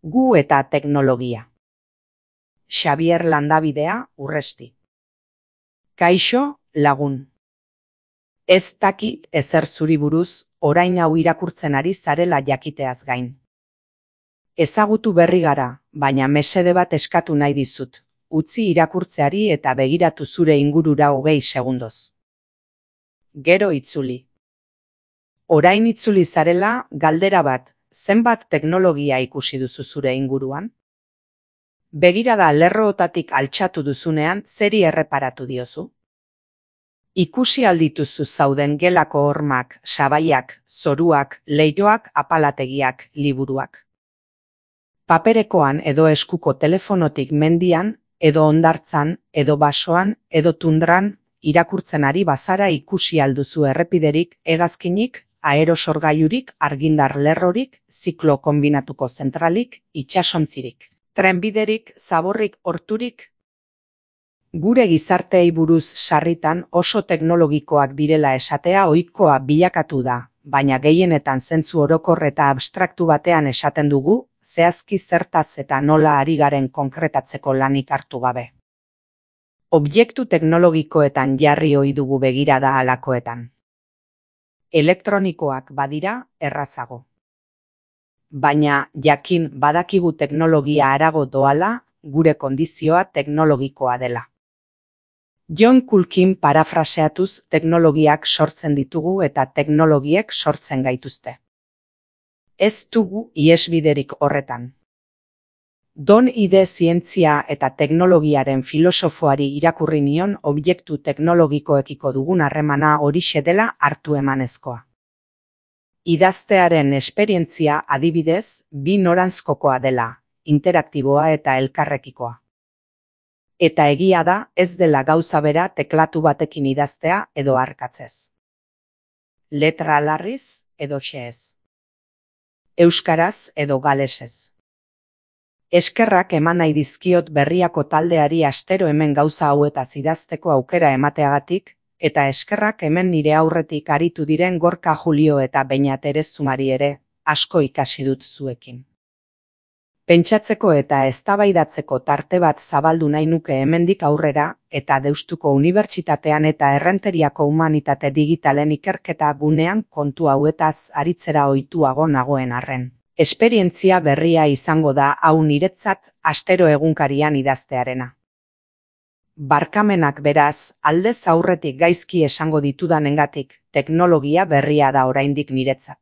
Gu eta teknologia. Xabier Landabidea, Urresti. Kaixo, lagun. Ez dakit ezer zuri buruz, orain hau irakurtzen ari zarela jakiteaz gain. Ezagutu berri gara, baina mesede bat eskatu nahi dizut. Utzi irakurtzeari eta begiratu zure ingurura 20 segundoz. Gero itzuli. Orain itzuli zarela, galdera bat, zenbat teknologia ikusi duzu zure inguruan? Begirada lerroetatik altxatu duzunean zeri erreparatu diozu? Ikusi aldituzu zauden gelako hormak, sabaiak, zoruak, leihoak, apalategiak, liburuak. Paperekoan edo eskuko telefonotik mendian, edo hondartzan, edo basoan, edo tundran, irakurtzen ari bazara ikusi alduzu errepiderik, hegazkinik, aerosorgailurik, argindar lerrorik, ziklo konbinatuko zentralik, itsasontzirik, trenbiderik, zaborrik, horturik. Gure gizarteei buruz sarritan oso teknologikoak direla esatea ohikoa bilakatu da, baina gehienetan zentzu orokor eta abstraktu batean esaten dugu, zehazki zertaz eta nola ari garen konkretatzeko lanik hartu gabe. Objektu teknologikoetan jarri ohi dugu begirada halakoetan. Elektronikoak badira errazago. Baina jakin badakigu teknologia harago doala, gure kondizioa teknologikoa dela. John Culkin parafraseatuz teknologiak sortzen ditugu eta teknologiek sortzen gaituzte. Ez dugu ihesbiderik horretan. Don Ide zientzia eta teknologiaren filosofoari irakurri nion objektu teknologikoekiko dugun harremana horixe dela hartu emanezkoa. Idaztearen esperientzia adibidez, bi noranzkokoa dela, interaktiboa eta elkarrekikoa. Eta egia da ez dela gauza bera teklatu batekin idaztea edo arkatzez. Letra larriz edo xehez. Euskaraz edo galesez. Eskerrak eman nahi dizkiot berriako taldeari astero hemen gauza hauetaz idazteko aukera emateagatik, eta eskerrak hemen nire aurretik aritu diren Gorka Julio eta Beñat Erezumari ere, asko ikasi dut zuekin. Pentsatzeko eta eztabaidatzeko tarte bat zabaldu nahi nuke hemendik aurrera, eta Deustuko Unibertsitatean eta Errenteriako Humanitate Digitalen ikerketa gunean kontu hauetaz aritzera ohituago nagoen arren. Esperientzia berria izango da hau niretzat astero egunkarian idaztearena. Barkamenak beraz, aldez aurretik gaizki esango ditudanengatik, teknologia berria da oraindik niretzat.